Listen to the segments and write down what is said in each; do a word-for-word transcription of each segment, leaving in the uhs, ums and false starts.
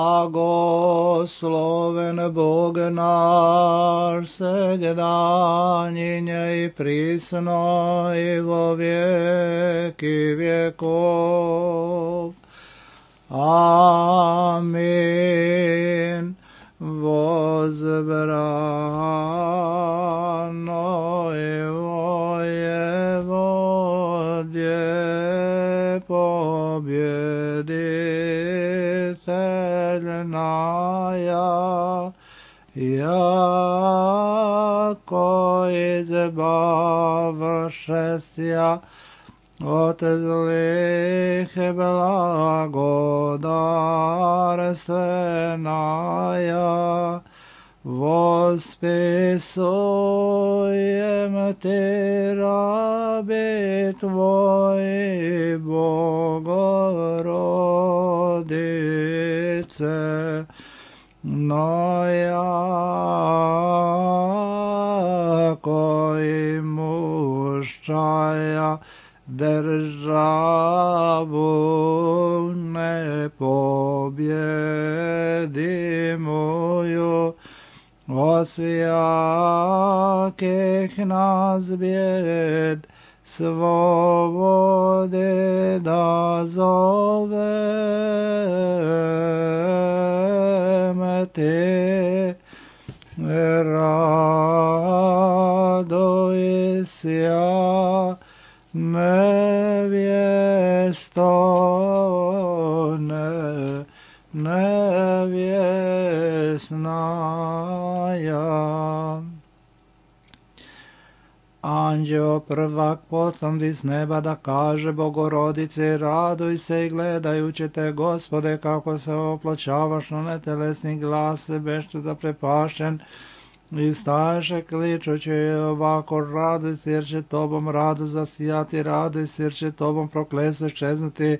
Blagosloven Bog naš, segdanjinje i prisno i vo vijeki vjekov. Amin. Возбрано его Еводье победительная, яко избавшеся от злых благодарственная, восписуем Ты, раби Твои, Богородице, но яко имущая державу непобедимую, от всяких нас бед свободы дозовем Ты, радуйся, невесто, не, невесная. Anđeo prvak poslandi s neba da kaže Bogorodice, raduj se i gledajući te, Gospode, kako se opločavaš na netelesni glas, bešte da prepašen, i staješe kličući ovako, raduj se jer će tobom radu zasijati, raduj se jer će tobom prokletstvo iščeznuti,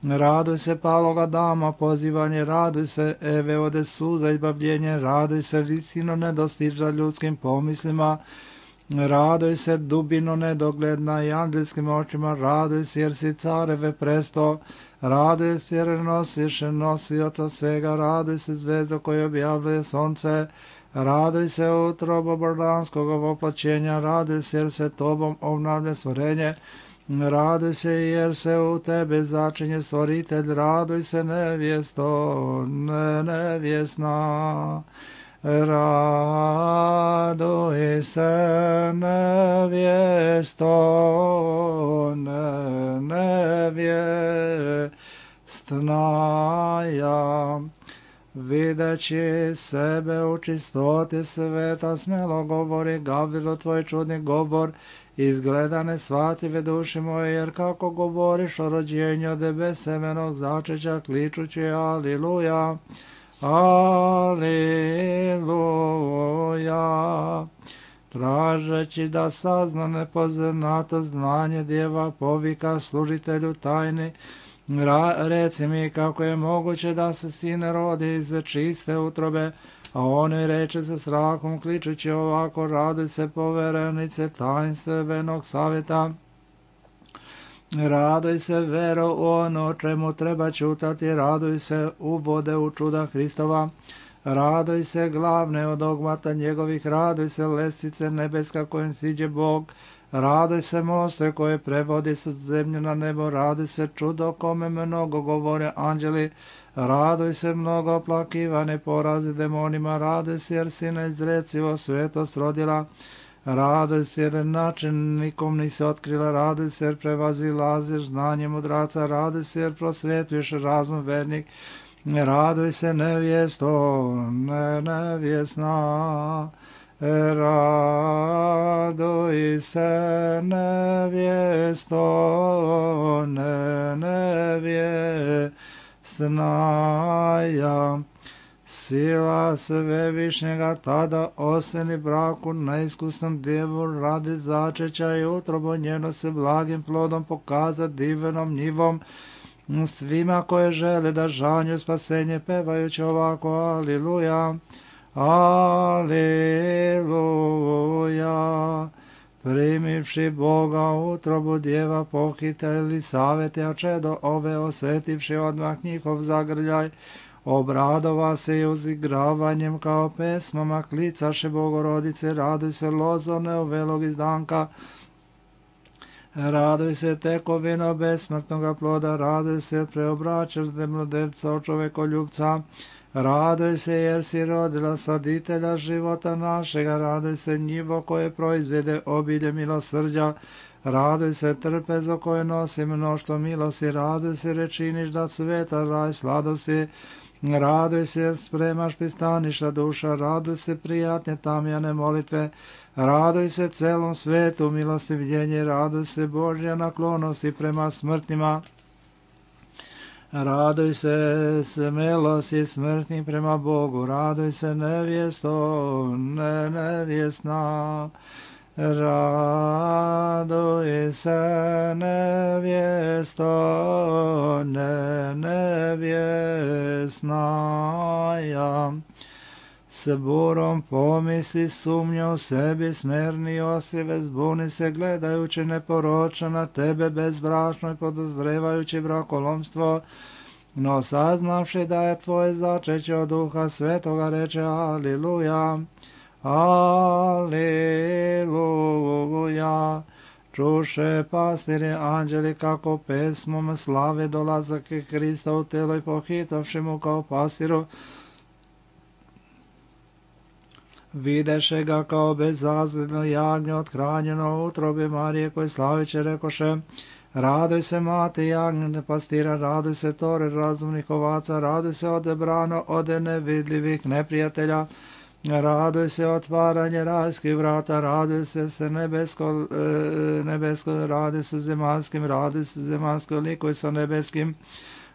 raduj se paloga dama, pozivanje, raduj se Eve ode suza, izbavljenje, raduj se visino nedostiža ljudskim pomislima, raduj se dubino nedogledna i angelskim očima, raduj se jer si careve presto, raduj se jer nosiš nosioca svega, raduj se zvezdo koje objavljuje sonce, raduj se utrobo božanskog voplaćenja, raduj se jer se tobom obnavlja stvorenje, raduj se jer se u tebe začinje stvoritelj, raduj se nevjesto, ne, nevjesna. Raduj se nevjesto, ne, nevjestnaja. Videći sebe u čistoti sveta, smjelo govori Gavrilo tvoj čudni govor, izgleda nesvative duši moje, jer kako govoriš o rođenju od tebe semenog začeća, kličući aliluja. Aleluja. Tražeći da sazna nepoznato znanje djeva povika služitelju tajni, reci mi kako je moguće da se sin rodi iz čiste utrobe, a on joj reče sa strahom kličući ovako, raduj se poverenice tajnstvenog savjeta, raduj se vero u ono čemu treba čutati, raduj se uvode u čuda Hristova, raduj se glavne od dogmata njegovih, raduj se lestvice nebeska kojim siđe Bog, raduj se moste koje prevodi sa zemlje na nebo, raduj se čudo kome mnogo govore anđeli, raduj se mnogo plakivane porazi demonima, raduj se jer si neizrecivo svetost rodila, raduj se jer način nikom nisi otkrila, raduj se jer prevazilaziš znanje mudraca, raduj se jer prosvetuješ razum vernik, raduj se nevjesto, ne nevjesna, raduj se nevjesto, ne nevjesnaja. Sila svevišnjega tada oseni braku neiskusnom djevu radi začeća i utrobo njeno se blagim plodom pokaza divnom njivom svima koje žele da žanju spasenje pevajući ovako aliluja, aliluja. Primivši Boga utrobu djeva pohiteli savete, a čedo ove osetivši odmah njihov zagrljaj, Obradova se i uzigravanjem kao pesmama, klicaše Bogorodice, raduj se lozo neovelog izdanka, raduj se tekovino besmrtnoga ploda, raduj se preobraćene mladenca od čovekoljubca, raduj se jer si rodila saditelja života našega, raduj se njivo koje proizvede obilje milosrđa, raduj se trpezo koje nosi mnoštvo milosti, raduj se rečiniš da sveta raj sladosti, raduj se spremaš pristaništa duša, raduj se prijatne tamjane molitve, raduj se celom svetu milostivljenje, raduj se Božja naklonosti prema smrtnima, raduj se smelosti smrtnih prema Bogu, raduj se nevjesto, ne nevjesna, raduj se nevjesto, ne nevjesnaja. S burom pomisli sumnja u sebi, smerni osive, zbuni se gledajući neporočno na tebe bezbrašno i podozrevajući brakolomstvo, no saznavši da je tvoje začeće od Duha Svetoga, reče Aliluja, Aliluja. Čuše pastiri anđeli kako pesmom slave dolazak Hrista u telo i pohitavši mu kao pastiru, videše ga kao bezazledno jagnje othranjeno u utrobi Marije, koji slaviće rekoše, raduj se mati jagnjene pastira, raduj se tore razumnih ovaca, raduj se odebrano ode nevidljivih neprijatelja, raduj se otvaranje rajskih vrata, raduj se se nebesko, e, nebesko, raduj se zemaljskim, raduj se zemaljsko likuj sa nebeskim,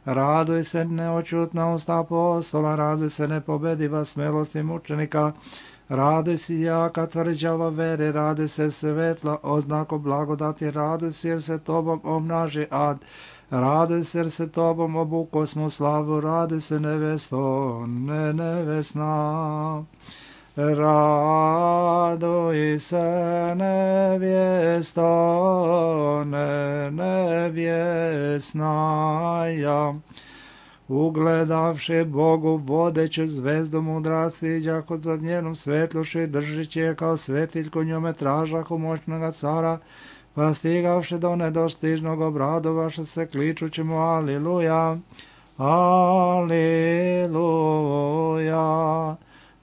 raduj se neočutna usta apostola, raduj se nepobediva smelosti mučenika, raduj se jaka tvrđava vere, raduj se svetla oznako blagodati, raduj se jer se tobom omnaži ad, raduj se jer se tobom obuko smo slavu, raduj se nevesto, ne nevesna. Raduj se nevjesto, ne nevjesnaja. Ugledavši Bogu vodeću zvezdu mudrasti, iđako za njenom svetlušu i držići je kao svetiljku njome tražahu moćnoga cara, pa stigavši do nedostižnog obradovaša se kličući mu Aliluja, Aliluja.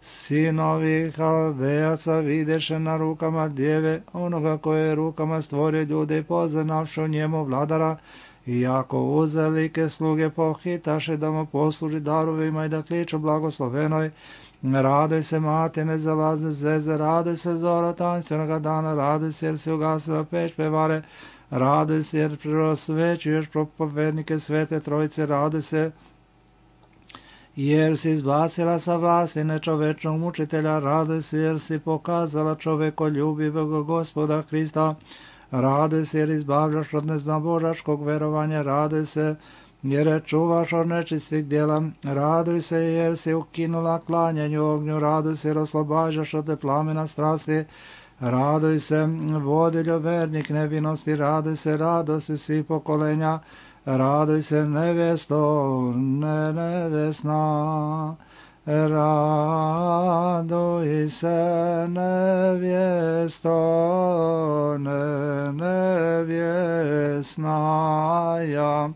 Sinovi Haldejaca videše na rukama djeve, onoga koje je rukama stvorio ljude i poznavši u njemu vladara, iako uzelike sluge pohitaše da mu posluži darovima i da kliču blagoslovenoj, raduj se mati nezalazne zveze, raduj se zoro tanjstvenog dana, raduj se jer si ugasila peć pevare, raduj se jer prosvećuješ propovednike svete trojice, raduj se jer si izbacila sa vlasti nečovečnog mučitelja, raduj se jer si pokazala čovekoljubivog Gospoda Hrista, raduj se jer izbavljaš od neznabožačkog verovanja, raduj se jer je čuvaš od nečistih djela, raduj se jer si ukinula klanjanju ognju, raduj se jer oslobađaš od te plamena strasti, raduj se vodiljo vernik nevinosti, raduj se radosti svi pokolenja, raduj se nevjesto, ne nevjesna, raduj se nevjesto, ne nevjesnaja.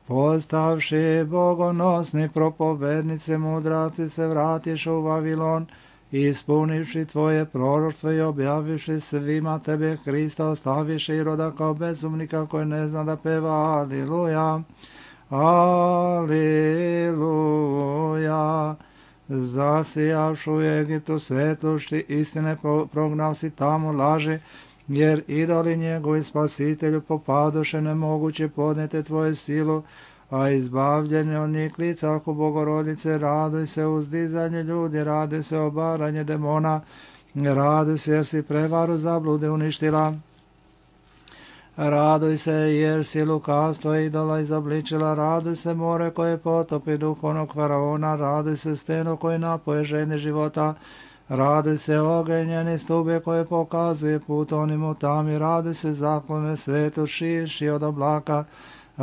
Postavši bogonosni propovednice mudraci se vratiš u Vavilon, ispunivši tvoje proroštvo i objavivši svima tebe Hrista, ostaviši i roda kao bezumnika koji ne zna da peva Aliluja, Aliluja. Zasijavši u Egiptu svetlošti istine, prognav si tamo laži, jer idoli njegovi spasitelju popadoše nemoguće podnijeti tvoju silu, a izbavljenje od njih klicahu Bogorodice, raduj se uzdizanje ljudi, raduj se obaranje demona, raduj se jer si prevaru zablude uništila, raduj se jer si lukavstvo idola izobličila, raduj se more koje potopi duhovnog faraona, raduj se steno koje napoje ženi života, raduj se ogenjeni stube koje pokazuje put onim u tami, raduj se zaklone svetu širši od oblaka,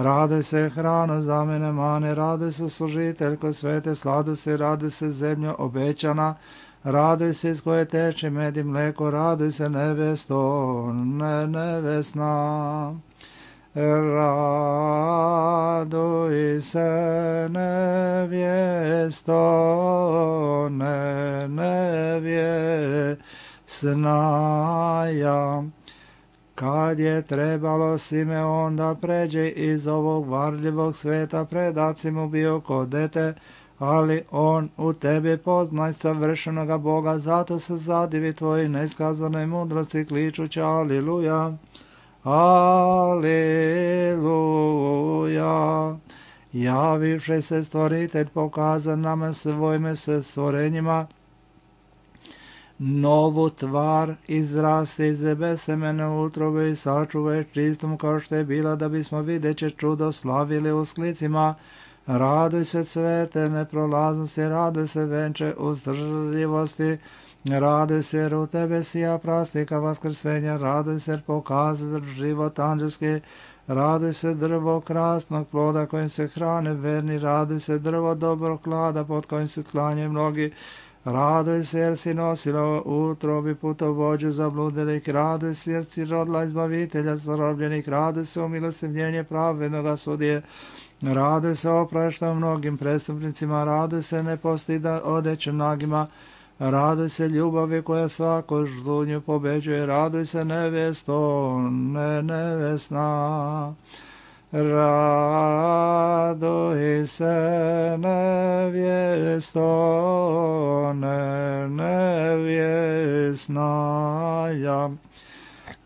Raduj se hrano za mene mane, raduj se služiteljko svete, sladu se, raduj se zemljo obećana, raduj se iz koje teče med i mleko, raduj se nevesto, ne nevesna. Raduj se nevjesto, ne nevjesnaja. Kad je trebalo Simeon da pređe iz ovog varljivog sveta, predaci mu bio kod dete, ali on u tebi poznaj savršenoga Boga, zato se zadivi tvoji neiskazanoj mudrosti kličući aliluja, aliluja. Javivši se stvoritelj pokaza nama svojime se stvorenjima, novu tvar izraste iz besemene utrobe i sačuvaj čistom kao što je bila, da bismo videće čudo slavili u sklicima. Raduj se cvete neprolaznosti, raduj se venče uzdržljivosti, raduj se jer u tebe sija prastika vaskrsenja, raduj se jer pokaza život anđelski, raduj se drvo krasnog ploda kojim se hrane verni, raduj se drvo dobrog klada pod kojim se klanje mnogi, raduj se jer si nosila u utrobi putovođu zabludilih, raduj se jer si rodila izbavitelja zarobljenih, raduj se o milostivljenje pravednoga sudije, raduj se oprašta mnogim prestupnicima, raduj se ne postida odeću nagima, raduj se ljubavi koja svaku žlunju pobeđuje, raduj se nevjesto, ne nevesna. Raduj se nevjesto, ne nevjesnaja.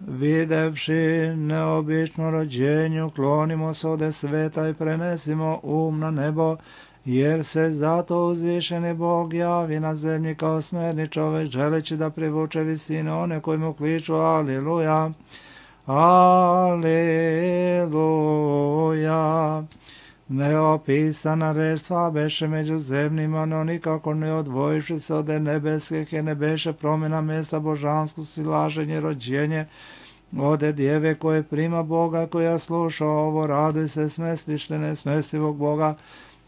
Videvši neobično rođenju, klonimo se ode sveta i prenesimo um na nebo, jer se zato uzvišeni Bog javi na zemlji kao smerni čovek, želeći da privuče visine one koji mu kliču aliluja, aliluja. Neopisana reč sva beše među zemljima, no nikako ne odvojiši se od nebeskih, je ne beše promjena mjesta božansko silaženje, rođenje, ode djeve koje prima Boga, koja sluša ovo, raduj se smestište nesmestivog Boga,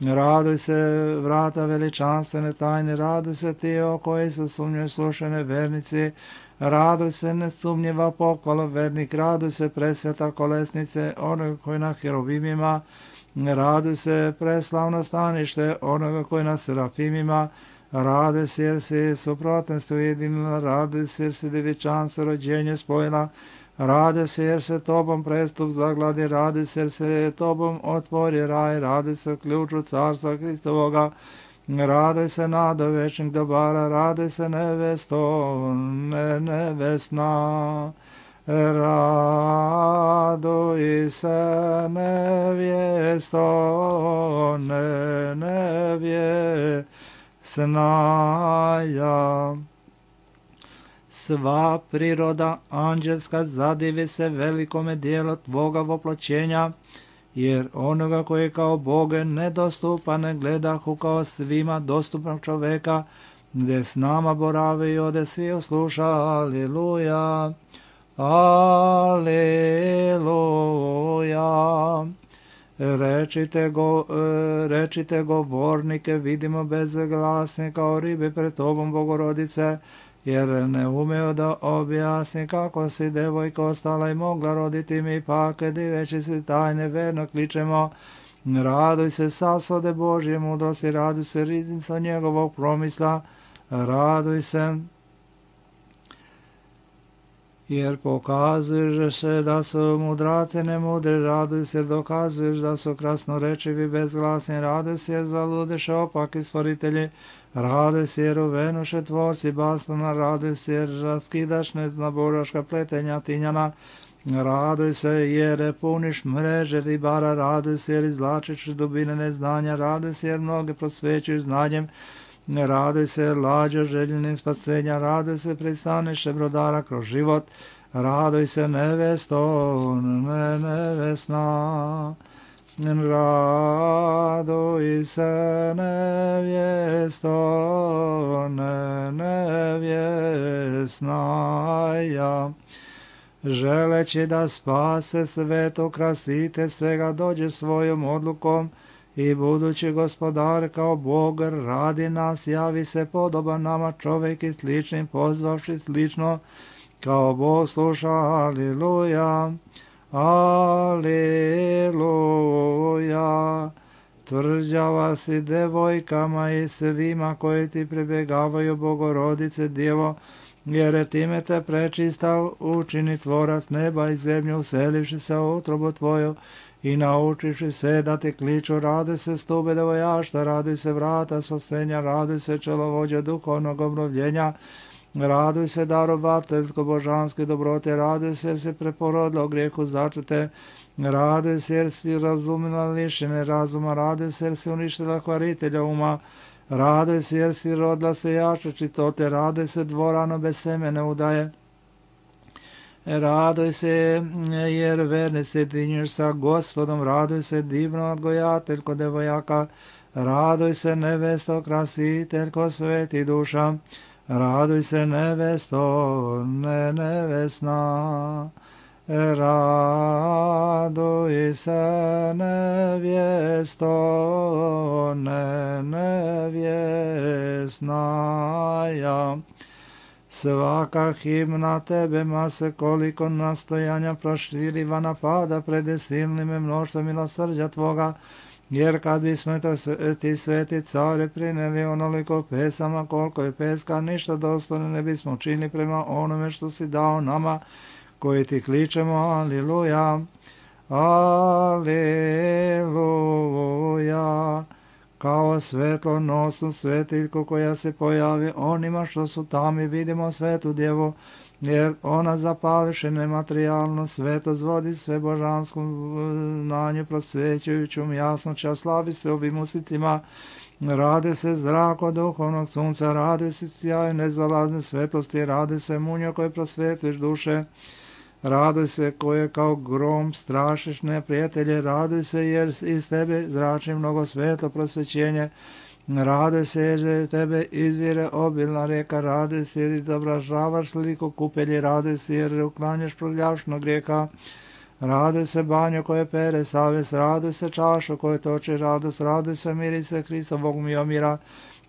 raduj se vrata veličanstvene tajne, raduj se ti o koji su sumnjoj slušane vernici, raduj se nesumnjiva pohvala vernik, raduj se presveta kolesnice onoga koji na heruvimima, raduj se preslavno stanište onoga koji na serafimima, raduj se jer si suprotnost ujedinila, raduj se jer si devičanstvo rođenje spojila, raduj se jer se tobom prestup zagladi, raduj se jer se tobom otvori raj, raduj se ključu carstva Hristovoga, raduj se nado večnih dobara, raduj se nevesto, ne nevesna. Raduj se nevjesto, ne nevjesnaja. Sva priroda anđelska zadivi se velikome dijelu tvoga voploćenja, jer onoga koji kao Boge nedostupan ne gledahu kao svima dostupnog čoveka, gdje s nama boravi i ode svi osluša, aliluja. Aleluja. Rečite, go, rečite govornike, vidimo bezglasne kao ribe pred tobom, Bogorodice, jer ne umeo da objasni kako si devojka ostala i mogla roditi mi, pak diveći si tajne verno kličemo, raduj se sasvode Božje mudrosti, raduj se riznica njegovog promisla, raduj se jer pokazuješ se da su mudraci nemudri, raduj se jer dokazuješ da su krasnorečivi bezglasni, raduj se jer zaludeše opaki stvoritelji, raduj se jer uvenuše tvorci bastona, raduj se jer raskidaš neznaboraška pletenja tinjana, raduj se jer puniš mreže ribara, raduj se jer izvlačiš dubine neznanja, raduj se jer mnoge prosvećuš znanjem, raduj se lađo željenim spasenja, raduj se pristaniše brodara kroz život, raduj se nevesto, ne nevesna, raduj se nevjesto, ne nevjesnaja. želeći da spase sveto, krasite svega, dođe svojom odlukom i budući gospodar kao Bog radi nas, javi se podoban nama čovjek i sličnim, pozvavši slično kao Bog sluša. Aliluja, aliluja. Tvrđava si devojkama i svima koji ti pribjegavaju, Bogorodice Djevo, jer time te prečista učini tvorac neba i zemlju, uselivši se u utrobu tvoju i naučiši se da ti kliču. Radi se stube devojašta, radi se vrata spasenja, radi se čelovođa duhovnog obnovljenja, raduj se darovateljsko božanske dobrote, raduj se jer si preporodila u grijehu začete, raduj se jer si razumila lišene razuma, raduj se jer si uništila kvaritelja uma, raduj se jer si rodila se jače čitote, raduj se dvorano bez semene udaje, raduj se jer verni se jedinjuješ sa Gospodom, raduj se divno odgojateljko devojaka, raduj se nevesto krasiteljko sveti duša, raduj se nevesto, ne nevesna, raduj se nevjesto, ne nevjesna ja. Svaka himna tebe mase koliko nastojanja proširiva napada pred silnim mnoštvom milosrđa tvoga, jer kad bismo to ti sveti care prineli onoliko pesama koliko je peska, ništa dostojno ne bismo učinili prema onome što si dao nama koji ti kličemo. Aliluja, aliluja. Kao svetlo nosu svetiljku koja se pojavi onima što su tamo, i vidimo svetu djevu, jer ona zapališe nematerijalno sveto, zvodi sve božanskom znanju, prosvećujućom jasnoća, slavi se ovim usicima, radi se zrak od duhovnog sunca, radi se sjaj nezalazne svetosti, radi se munjo koje prosvetliš duše, raduj se koje kao grom strašiš neprijatelje, raduj se jer iz tebe zrači mnogo svetlo prosvećenje, raduj se jer tebe izvire obilna rijeka, raduj se jer izobražavaš sliku kupelji, raduj se jer uklanjaš prljavšnog grijeha, raduj se banjo koje pere savest, raduj se čašu koje toči radost, raduj se mirise Hristovog miomira,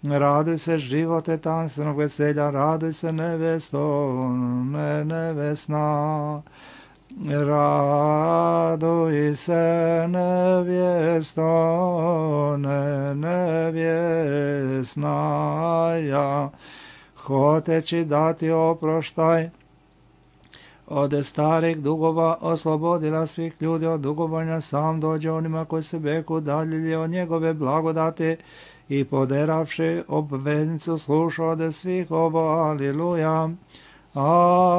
raduj se živote tanstvenog veselja, raduj se nevesto, ne nevesna, raduj se nevjesto, ne nevjesna ja. Hoteći dati oproštaj od starih dugova, oslobodila svih ljudi od dugovanja, sam dođe onima koji se beku udaljili od njegove blagodati i poderavši obveznicu slušao od svih ovo. Aliluja, aliluja.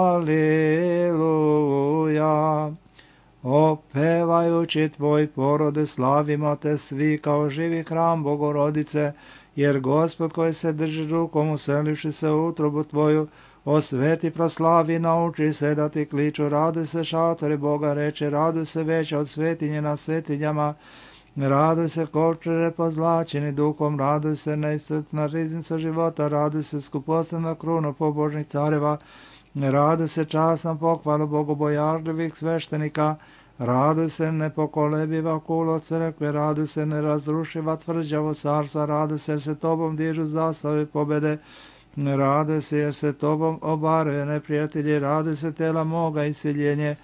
Opevajući tvoj porode slavimo te svi kao živi hram Bogorodice, jer Gospod koji se drži rukom uselivši se u utrobu tvoju, osveti, proslavi, nauči se da ti kliču. Raduj se šatori Boga reče, raduj se veća od svetinje na svetinjama, raduj se kočere pozlačeni duhom, raduj se neiscrpna riznica života, raduj se skuposlena kruna pobožnih careva, raduj se časna pohvala bogobojažljivih sveštenika, raduj se nepokolebiva kulo crkve, raduj se nerazrušiva tvrđavo carstva, raduj se jer se tobom dižu zastave pobede, raduj se jer se tobom obaruje neprijatelji, raduj se tela moga isiljenje,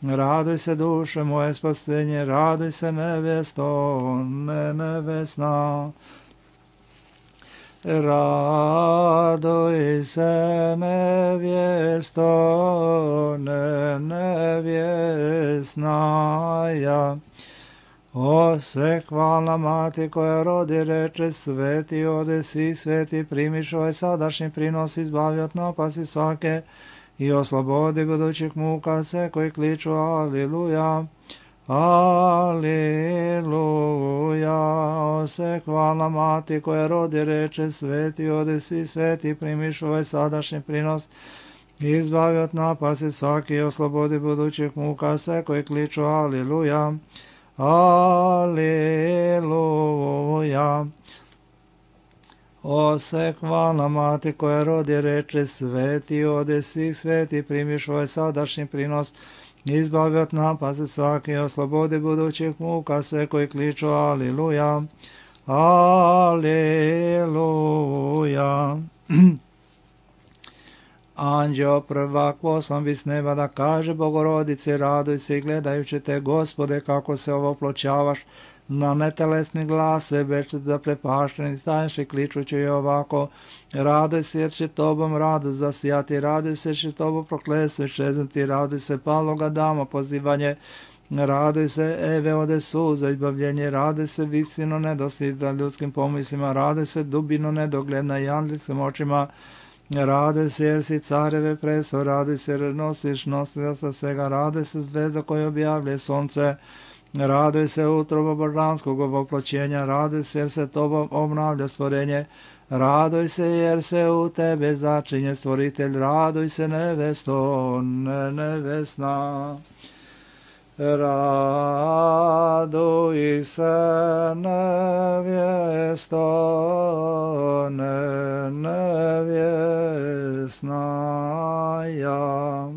raduj se duše moje spasenje, raduj se nevjesto, ne nevesna, raduj se nevjesto, ne nevjesna ja. O sve hvalna mati koja rodi reče, sveti ode si, sveti primiš ovaj sadašnji prinos, izbavi od napasti svake i oslobodi budućih muka sve koji kliču. Aliluja, aliluja. O sve hvalna mati koja rodi reče, sveti ode si, sveti primiš ovaj sadašnji prinos, izbavi od napasti svake i oslobodi budućih muka sve koji kliču. Aliluja, aliluja. Ose hvalna mati koja rodi reče sveti ode svih sveti primiš ovaj sadašnji prinos, izbavi od napasti svaki, oslobodi budućih muka sve koji kliču aliluja, aliluja. Anđeo prvak poslan bi s neba da kaže Bogorodice raduj se i gledajući te Gospode kako se ovo pločavaš na netelesni glase bešte da prepašteni staješ i kličući i ovako raduj se jer će tobom radost zasijati, raduj se jer će tobom prokletstvo iščeznuti, raduj se paloga dama pozivanje, raduj se Eve ode suza izbavljenje, raduj se visino nedoslida ljudskim pomislima, raduj se dubino nedogledna i anđelskim očima, raduj se jer si careve preso, raduj se jer nosiš nosioca svega, raduj se zvezda koja objavlje sunce, raduj se utroba božanskog ovoploćenja, raduj se jer se tobom obnavlja stvorenje, raduj se jer se u tebe začinje stvoritelj, raduj se nevesto, ne nevesna. Raduj se nevjesto, ne nevjesna ja.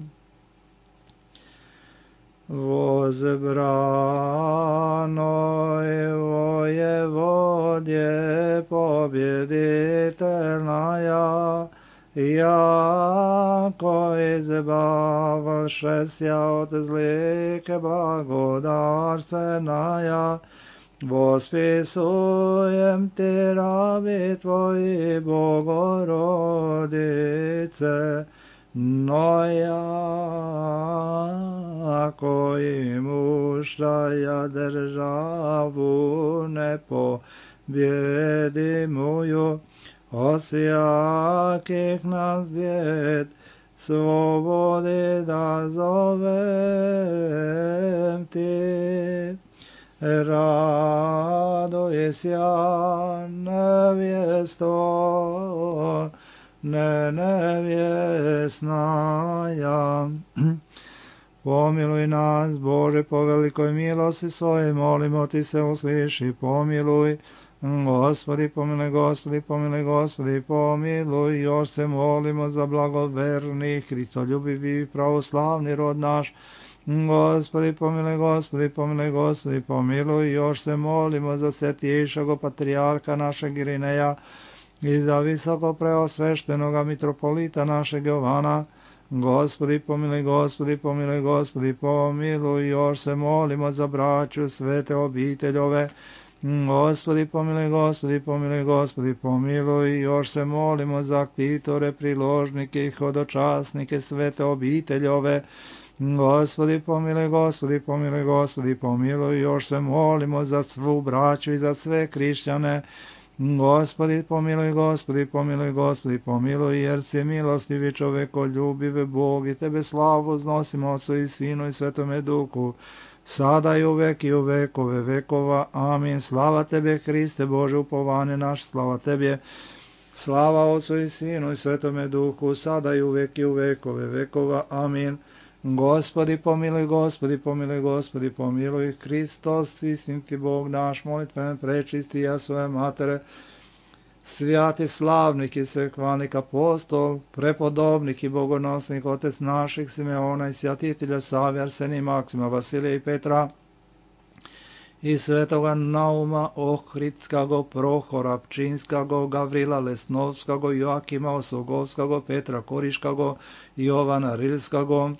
Возбранoj воеводje победительная, jako izbavlšes ja od zlike blagodarstvenaja, vospisujem ti rabi tvoji Bogorodice, no jako im uštaja državu nepobjedimuju, osjakih nas bjed, slobodi da zovem ti. Raduj sja nevjesto, ne nevjesnaja. Pomiluj nas, Bože, po velikoj milosti svojoj, molimo ti se, usliši, pomiluj. Gospodi pomiluj, Gospodi pomiluj, Gospodi pomiluj, još se molimo za blagoverni, hristoljubivi, pravoslavni rod naš. Gospodi pomiluj, Gospodi pomiluj, Gospodi pomiluj, još se molimo za svetišago patrijarha našeg Irineja i za visoko preosveštenoga mitropolita našeg Jovana. Gospodi pomiluj, Gospodi pomiluj, Gospodi pomiluj, još se molimo za braću svete obiteljove. Gospodi pomiluj, Gospodi pomiluj, Gospodi pomiluj, još se molimo za ktitore, priložnike i hodočasnike svete obiteljove. Gospodi pomiluj, Gospodi pomiluj, Gospodi pomiluj, još se molimo za svu braću i za sve hrišćane. Gospodi pomiluj, Gospodi pomiluj, Gospodi pomiluj, jer si milostivi čoveko ljubive Bog i tebe slavu znosimo Otcu i Sinu i Svetome Duhu, sada i uvek i u vekove vekova. Amin. Slava tebe, Hriste Bože, upovanje naš, slava tebe. Slava Otcu i Sinu i Svetome Duhu, sada i uvek i u vekove vekova. Amin. Gospodi pomiluj, Gospodi pomiluj, Gospodi pomiluj, Hristos, istinski Bog naš, molitven prečisti ja svoje matere, svjati slavnik i svekvanik apostol, prepodobnik i bogonosnik, otec naših Simeona i svjatitelja Savija, Arsenija, Maksima, Vasilija i Petra, i svetoga Nauma, Ohridskago, Prohora, Pčinskago, Gavrila Lesnovskago, Joakima Osogovskago, Petra Koriškago, Jovana Rilskago,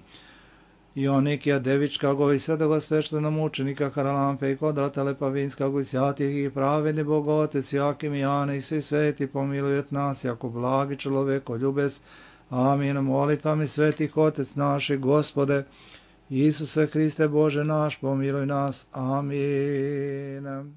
Ionikija Devičkago i svetoga sveštenog mučenika Haralampe i Kodrata Lepavinskago i svjatih i pravedni Bogotec Joakim i Jane i svi sveti pomilujet nas, jako blagi čoveko ljubes. Amin. Molitvami svetih Otec naši, Gospode, Isuse Hriste Bože naš, pomiluj nas. Amin.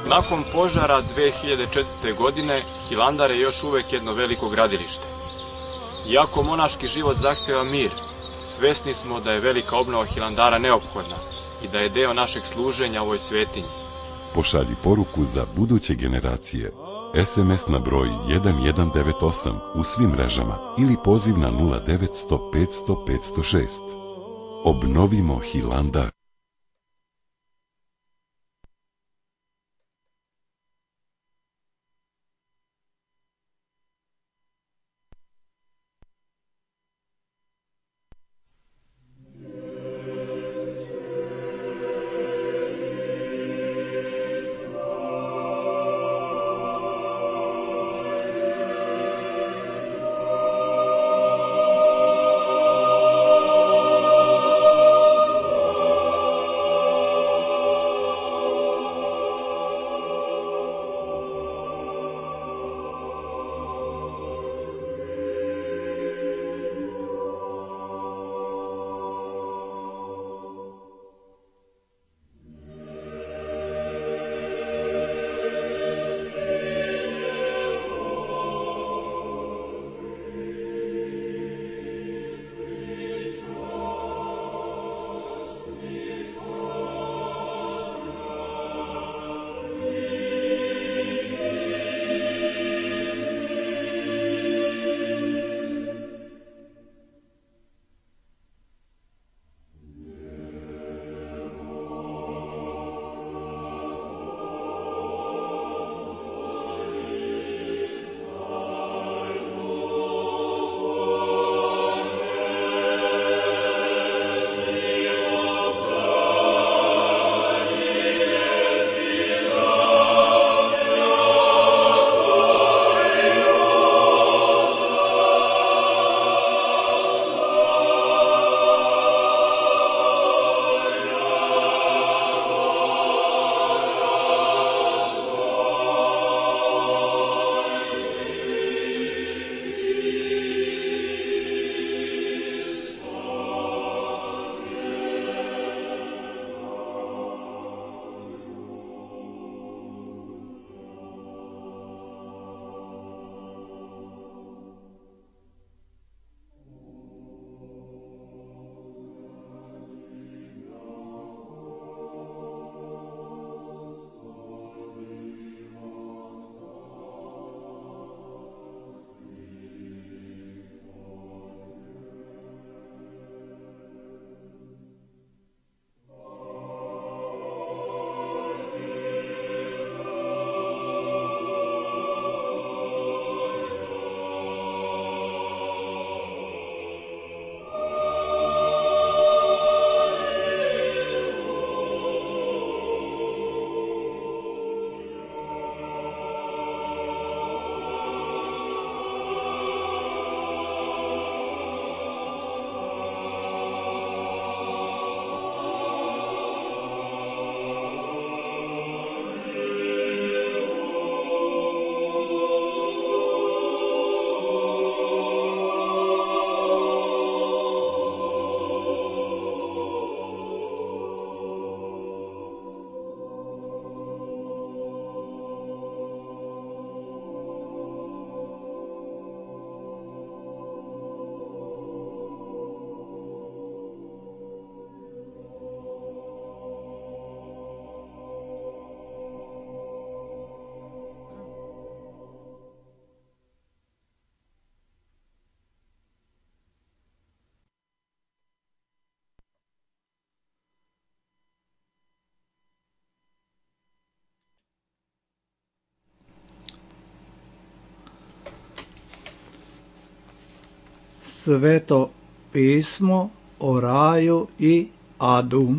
Nakon požara dve hiljade četvrte. godine, Hilandar je još uvek jedno veliko gradilište. Iako monaški život zahteva mir, svesni smo da je velika obnova Hilandara neophodna i da je deo našeg služenja ovoj svetinji. Pošalji poruku za buduće generacije. es em es na broj jedan jedan devet osam u svim mrežama ili poziv na nula devet sto petsto petsto šest. Obnovimo Hilandar. Sveto pismo o raju i adu.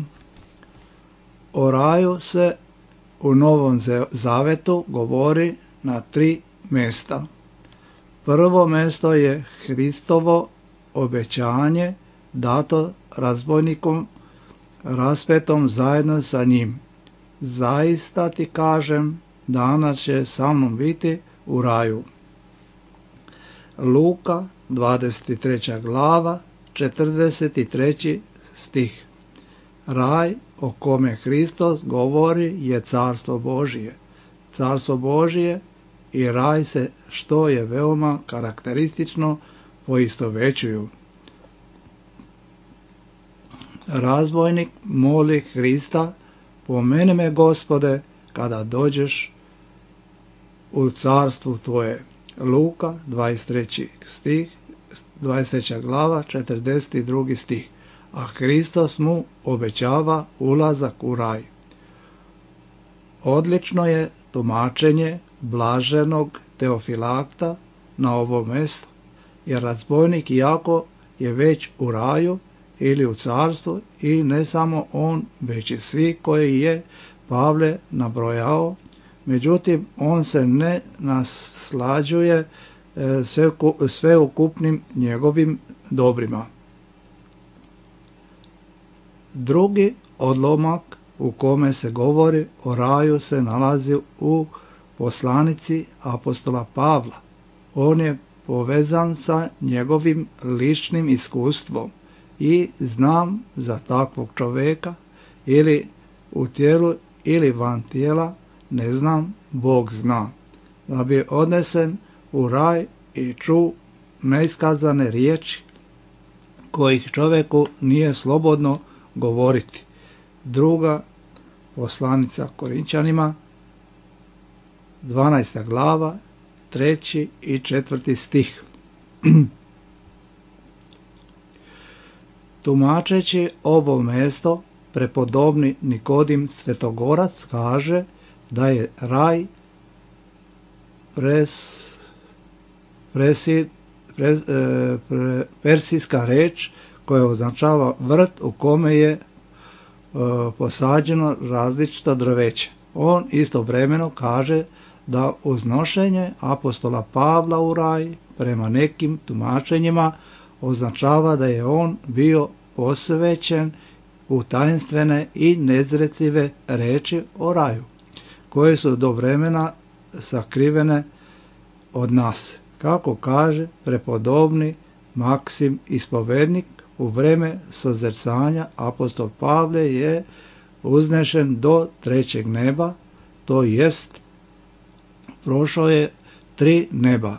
O raju se u Novom Zavetu govori na tri mjesta. Prvo mjesto je Hristovo obećanje dato razbojnikom raspetom zajedno sa njim. Zaista ti kažem, danas će sa mnom biti u raju. Luka, dvadeset treća glava, četrdeset treći stih. Raj o kome Hristos govori je carstvo Božije. carstvo Božije i raj se, što je veoma karakteristično, poistovećuju. Razbojnik moli Hrista, pomeni me Gospode kada dođeš u carstvu tvoje. Luka dvadeset treći stih, dvadeset treća glava, četrdeset drugi stih. A Hristos mu obećava ulazak u raj. Odlično je tumačenje blaženog Teofilakta na ovo mjesto, jer razbojnik iako je već u raju ili u carstvu, i ne samo on, već i svi koji je Pavle nabrojao, međutim on se ne naslađuje sveukupnim njegovim dobrima. Drugi odlomak u kome se govori o raju se nalazi u poslanici apostola Pavla. On je povezan sa njegovim ličnim iskustvom i znam za takvog čovjeka, ili u tijelu ili van tijela, ne znam, Bog zna, da bi odnesen u raj i ču neiskazane riječi kojih čovjeku nije slobodno govoriti. Druga poslanica Korinčanima, dvanaesta glava, treći i četvrti stih. Tumačeći ovo mjesto, prepodobni Nikodim Svetogorac kaže da je raj pres, presi, pres, e, pre, persijska reč koja označava vrt u kome je e, posađeno različito drveće. On istovremeno kaže da uznošenje apostola Pavla u raj prema nekim tumačenjima označava da je on bio posvećen u tajnstvene i nezrecive reči o raju, koje su do vremena sakrivene od nas. Kako kaže prepodobni Maksim ispovednik, u vreme sozrcanja apostol Pavle je uznešen do trećeg neba, to jest prošao je tri neba.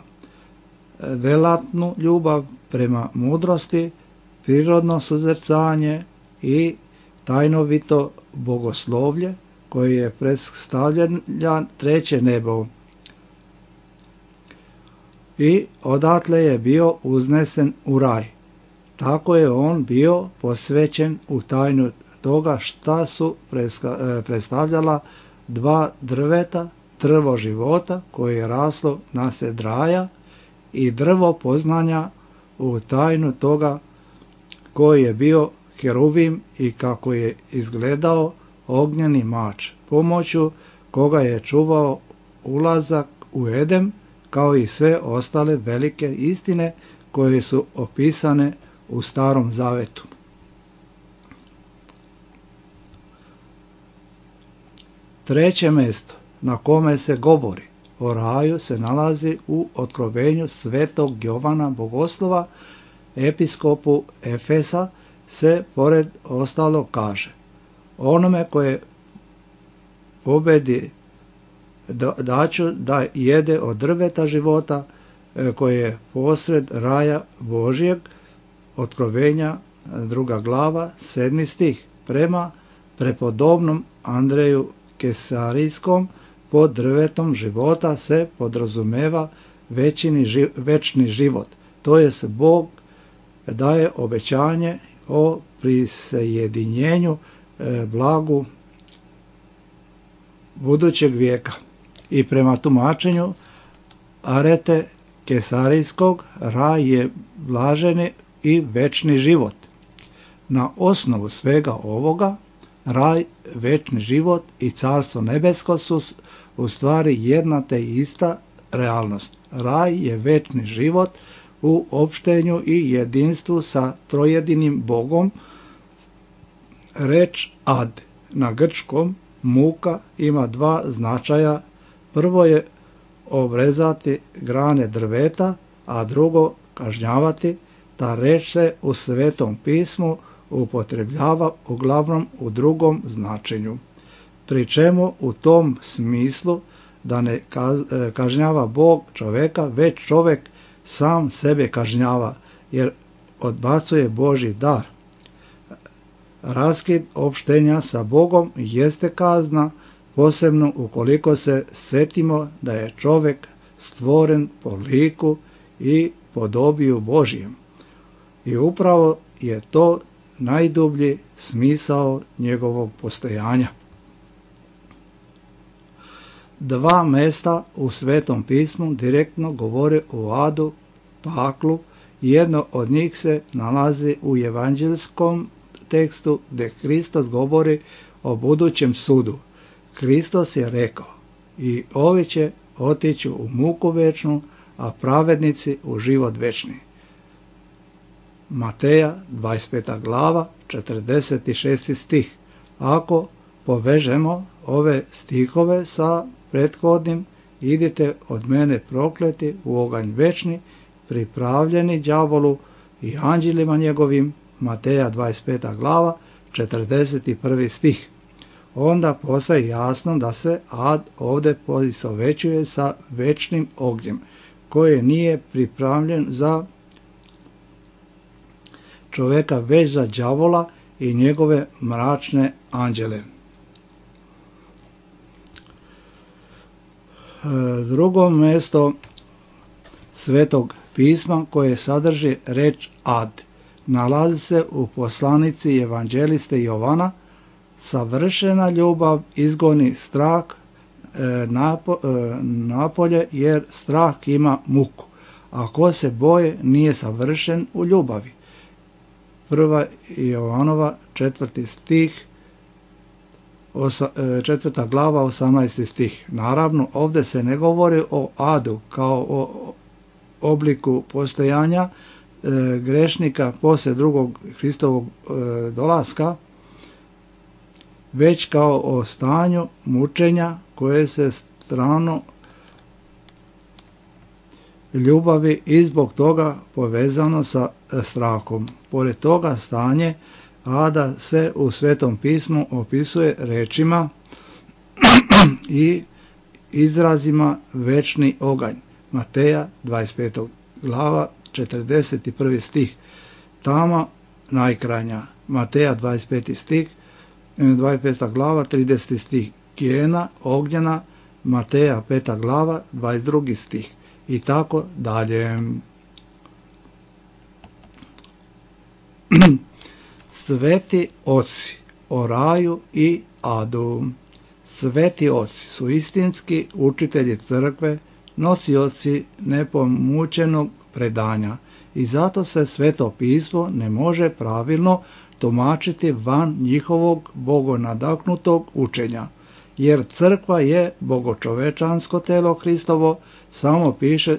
Delatnu ljubav prema mudrosti, prirodno sozrcanje i tajnovito bogoslovlje koje je predstavljan treće nebo. I odatle je bio uznesen u raj. Tako je on bio posvećen u tajnu toga šta su predstavljala dva drveta, drvo života koje je raslo nasred raja i drvo poznanja u tajnu toga koji je bio heruvim i kako je izgledao ognjeni mač, pomoću koga je čuvao ulazak u Edem, kao i sve ostale velike istine koje su opisane u Starom Zavetu. Treće mjesto na kome se govori o raju se nalazi u otkrovenju svetog Jovana Bogoslova, episkopu Efesa, se pored ostalo kaže: onome koje pobedi daću da jede od drveta života koje je posred raja Božijeg. Otkrovenja druga glava, sedmi stih. Prema prepodobnom Andreju Kesarijskom, pod drvetom života se podrazumeva većini, večni život, to je se Bog daje obećanje o prisajedinjenju e, blagu budućeg vijeka. I prema tumačenju Arete Kesarijskog, raj je blaženi i večni život. Na osnovu svega ovoga, raj, večni život i carstvo nebesko su u stvari jedna te ista realnost. Raj je večni život u opštenju i jedinstvu sa trojedinim Bogom. Reč ad na grčkom muka ima dva značaja. Prvo je obrezati grane drveta, a drugo kažnjavati. Ta reč se u Svetom pismu upotrebljava uglavnom u drugom značenju, pri čemu u tom smislu da ne kažnjava Bog čoveka, već čovek sam sebe kažnjava, jer odbacuje Božji dar. Raskid opštenja sa Bogom jeste kazna, posebno ukoliko se setimo da je čovek stvoren po liku i podobiju Božjem. I upravo je to najdublji smisao njegovog postojanja. Dva mesta u Svetom pismu direktno govore o adu, paklu. Jedno od njih se nalazi u evanđelskom tekstu gdje Hristos govori o budućem sudu. Hristos je rekao: i ovi će otići u muku večnu, a pravednici u život večni. Mateja dvadeset peta glava, četrdeset šesti stih. Ako povežemo ove stihove sa prethodnim: idite od mene prokleti u oganj večni, pripravljeni đavolu i anđelima njegovim, Mateja dvadeset peta glava, četrdeset prvi stih. Onda postaje jasno da se ad ovdje poistovećuje sa večnim ognjem, koji nije pripravljen za čoveka, već za đavola i njegove mračne anđele. Drugo mjesto Svetog pisma koje sadrži reč ad nalazi se u poslanici evanđeliste Jovana: savršena ljubav izgoni strah e, napo, e, napolje, jer strah ima muku, a ko se boje nije savršen u ljubavi. Prva Jovanova četvrti stih, osa, e, četvrta glava, osamnaesti stih. Naravno, ovdje se ne govori o adu kao o obliku postojanja e, grešnika poslije drugog Hristovog e, dolaska, već kao o stanju mučenja koje se strano ljubavi i zbog toga povezano sa strahom. Pored toga stanje ada se u Svetom pismu opisuje rečima i izrazima večni oganj. Mateja dvadeset peta glava, četrdeset prvi stih. Tama najkrajnja. Mateja dvadeset peti stih, dvadeset peta glava, trideseti stih. Kijena ognjena, Mateja peta glava, dvadeset drugi stih. I tako dalje. Sveti oci o raju i adu. Sveti oci su istinski učitelji crkve, nosioci nepomućenog predanja, i zato se Sveto pismo ne može pravilno tumačiti van njihovog bogonadahnutog učenja, jer crkva je bogočovečansko telo Hristovo, samo piše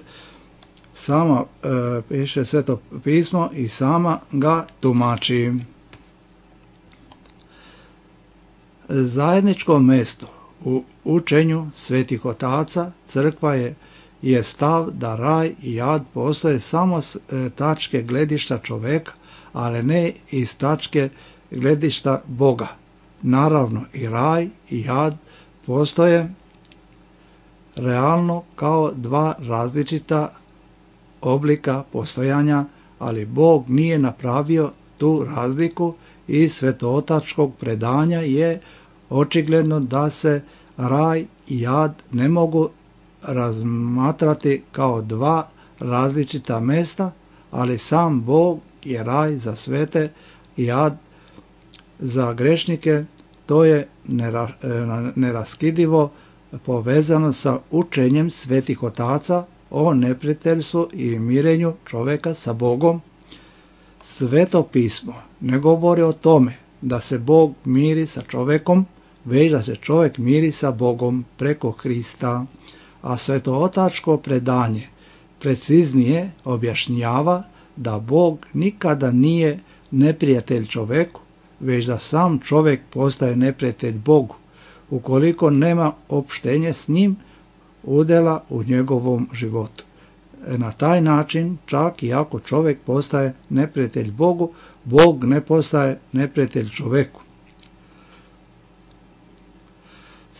sama e, piše Sveto pismo i sama ga tumači. Zajedničko mesto u učenju svetih otaca crkva je, je stav da raj i ad postoje samo s e, tačke gledišta čoveka, ali ne iz tačke gledišta Boga. Naravno, i raj i ad postoje realno kao dva različita oblika postojanja, ali Bog nije napravio tu razliku. Iz svetootačkog predanja je očigledno da se raj i ad ne mogu razmatrati kao dva različita mesta, ali sam Bog je raj za svete i ad za grešnike. To je neraskidivo povezano sa učenjem svetih otaca o neprijateljstvu i mirenju čoveka sa Bogom. Sveto pismo ne govori o tome da se Bog miri sa čovekom, već da se čovek miri sa Bogom preko Hrista, a svetootačko predanje preciznije objašnjava da Bog nikada nije neprijatelj čoveku, već da sam čovek postaje neprijatelj Bogu, ukoliko nema opštenje s njim udela u njegovom životu. Na taj način, čak i ako čovek postaje neprijatelj Bogu, Bog ne postaje neprijatelj čoveku.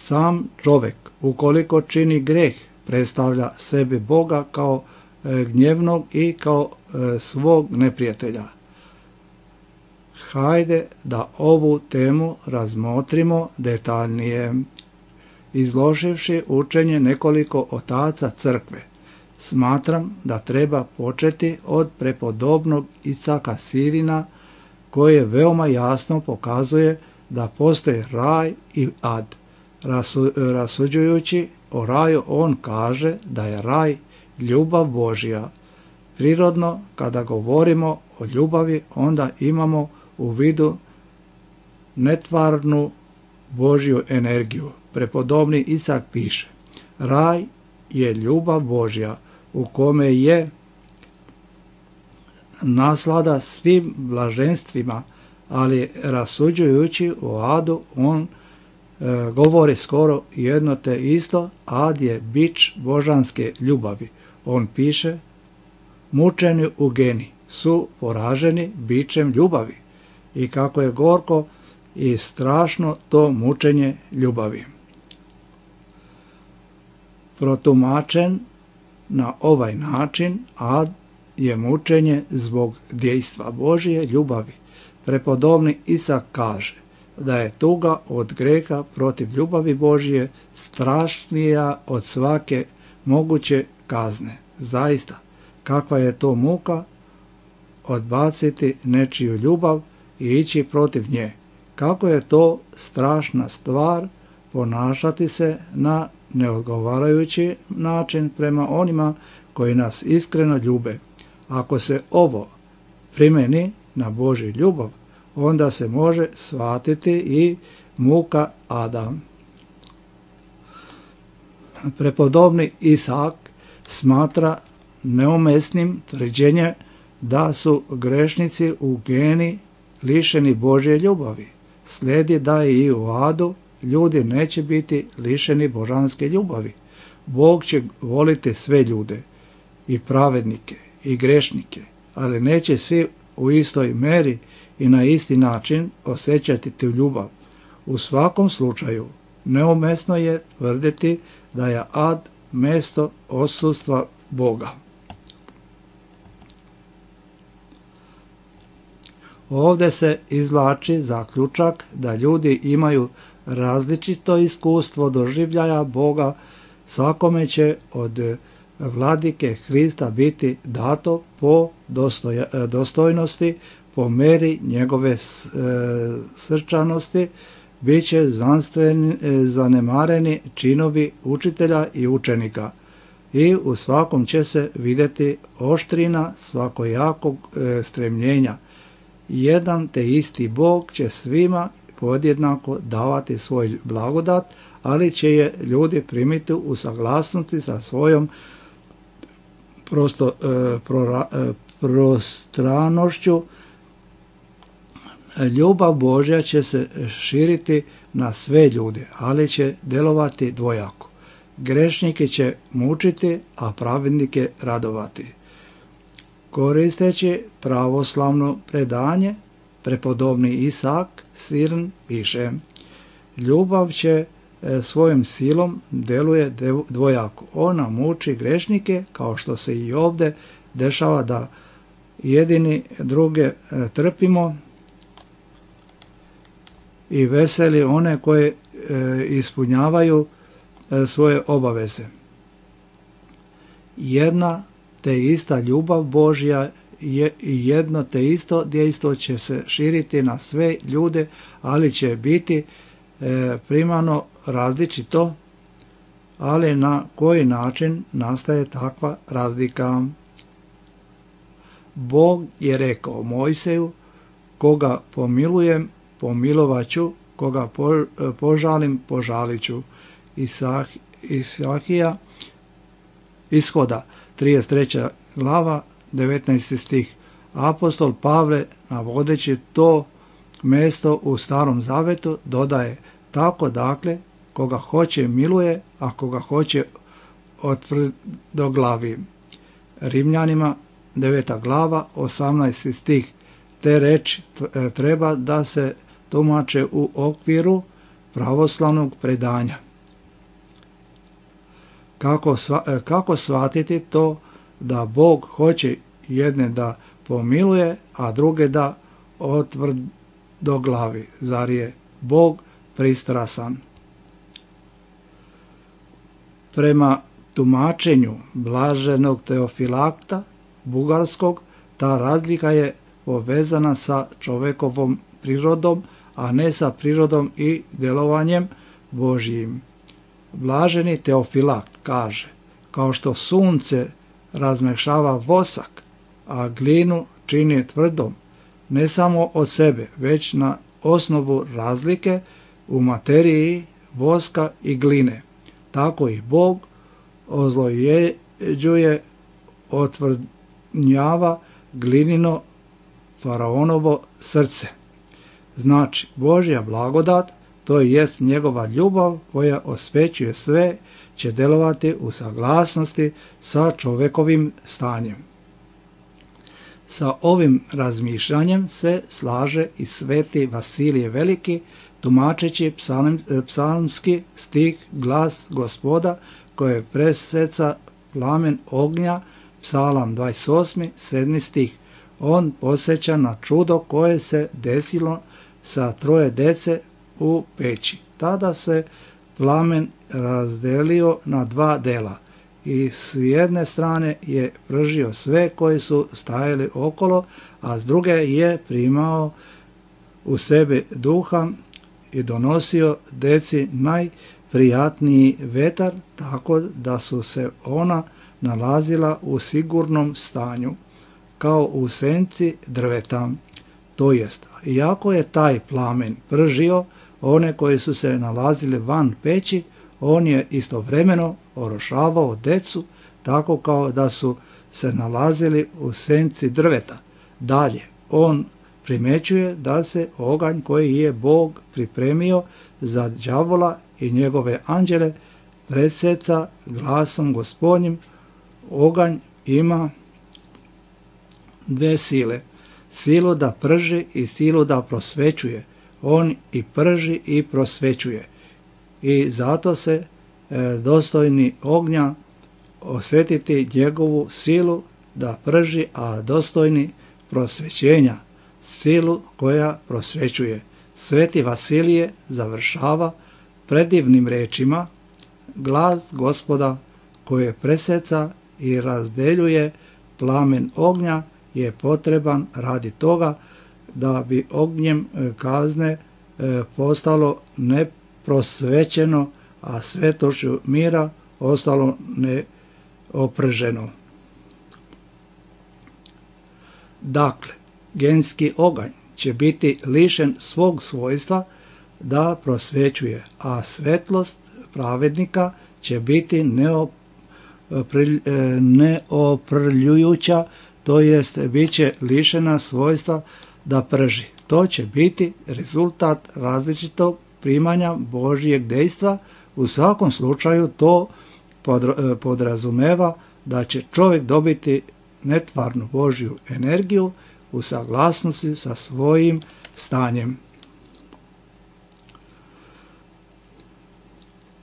Sam čovjek, ukoliko čini greh, predstavlja sebi Boga kao e, gnjevnog i kao e, svog neprijatelja. Hajde da ovu temu razmotrimo detaljnije. Izloživši učenje nekoliko otaca crkve, smatram da treba početi od prepodobnog Isaka Sirina, koji veoma jasno pokazuje da postoji raj i ad. Rasu, rasuđujući o raju, on kaže da je raj ljubav Božja. Prirodno, kada govorimo o ljubavi, onda imamo u vidu netvarnu Božju energiju. Prepodobni Isak piše: raj je ljubav Božja u kome je naslada svim blaženstvima, ali rasuđujući o adu, on e, govori skoro jedno te isto. Ad je bič božanske ljubavi. On piše: mučeni u geni su poraženi bičem ljubavi, i kako je gorko i strašno to mučenje ljubavi. Protumačen na ovaj način, ad je mučenje zbog dejstva Božje ljubavi. Prepodobni Isak kaže da je tuga od greha protiv ljubavi Božje strašnija od svake moguće kazne. Zaista, kakva je to muka odbaciti nečiju ljubav i ići protiv nje. Kako je to strašna stvar ponašati se na neodgovarajući način prema onima koji nas iskreno ljube. Ako se ovo primeni na Božju ljubav, onda se može shvatiti i muka ada. Prepodobni Isak smatra neumesnim tvrđenje da su grešnici u geni lišeni Božje ljubavi. Slijedi da i u adu ljudi neće biti lišeni božanske ljubavi. Bog će voliti sve ljude, i pravednike, i grešnike, ali neće svi u istoj meri i na isti način osjećati tu ljubav. U svakom slučaju, neumesno je tvrditi da je ad mjesto odsustva Boga. Ovdje se izvlači zaključak da ljudi imaju različito iskustvo doživljaja Boga. Svakome će od vladike Hrista biti dato po dostojnosti, po meri njegove srčanosti. Biće zanemareni činovi učitelja i učenika, i u svakom će se vidjeti oštrina svakojakog stremljenja. Jedan te isti Bog će svima podjednako davati svoj blagodat, ali će je ljudi primiti u saglasnosti sa svojom prosto, e, prora, e, prostranošću. Ljubav Božja će se širiti na sve ljude, ali će djelovati dvojako. Grešnike će mučiti, a pravednike radovati. Koristeći pravoslavno predanje, prepodobni Isak Sirn piše: ljubav će svojom silom djeluje dvojako. Ona muči grešnike, kao što se i ovdje dešava da jedini druge trpimo, i veseli one koje ispunjavaju svoje obaveze. Jedna te ista ljubav Božja je jedno te isto dejstvo će se širiti na sve ljude, ali će biti e, primarno različito. Ali na koji način nastaje takva razlika? Bog je rekao Mojseju: koga pomilujem, pomilovaću, koga po, požalim, požaliću. Isah, Isahija, Ishoda, trideset treća glava, devetnaesti stih. Apostol Pavle, navodeći to mjesto u Starom Zavetu, dodaje: tako dakle, koga hoće miluje, a koga hoće otvrdoglavi. Rimljanima, deveta glava, osamnaesti stih. Te reči treba da se tumače u okviru pravoslavnog predanja. Kako, sva, kako shvatiti to da Bog hoće jedne da pomiluje, a druge da otvrdoglavi? Zar je Bog pristrasan? Prema tumačenju blaženog Teofilakta Bugarskog, ta razlika je povezana sa čovekovom prirodom, a ne sa prirodom i djelovanjem Božjim. Blaženi Teofilakt kaže, kao što sunce razmešava vosak, a glinu čini tvrdom, ne samo od sebe, već na osnovu razlike u materiji voska i gline. Tako i Bog ozlojeđuje, otvrdnjava glinino faraonovo srce. Znači, Božja blagodat, to jest njegova ljubav koja osvećuje sve, će delovati u saglasnosti sa čovekovim stanjem. Sa ovim razmišljanjem se slaže i sveti Vasilije Veliki, tumačeći psalm, psalmski stih Glas Gospoda, koje preseca plamen ognja, psalam dvadeset osmi, sedmi stih. On posjeća na čudo koje se desilo sa troje dece u peći. Tada se plamen razdelio na dva dela i s jedne strane je pržio sve koji su stajali okolo, a s druge je primao u sebi duha i donosio deci najprijatniji vetar, tako da su se ona nalazila u sigurnom stanju, kao u senci drveta. To jest, iako je taj plamen pržio one koji su se nalazili van peći, on je istovremeno orošavao decu, tako kao da su se nalazili u senci drveta. Dalje, on primećuje da se oganj koji je Bog pripremio za đavola i njegove anđele preseca glasom Gospodnjim. Oganj ima dve sile, silu da prži i silu da prosvećuje. On i prži i prosvećuje. I zato se e, dostojni ognja osjetiti njegovu silu da prži, a dostojni prosvećenja silu koja prosvećuje. Sveti Vasilije završava predivnim rečima: Glas Gospoda koje preseca i razdeljuje plamen ognja je potreban radi toga da bi ognjem kazne postalo neprosvećeno, a svetošću mira ostalo neoprženo. Dakle, genski oganj će biti lišen svog svojstva da prosvećuje, a svetlost pravednika će biti neoprljujuća, to jest bit će lišena svojstva da prži. To će biti rezultat različitog primanja Božjeg dejstva. U svakom slučaju to podrazumeva da će čovjek dobiti netvarnu Božju energiju u saglasnosti sa svojim stanjem.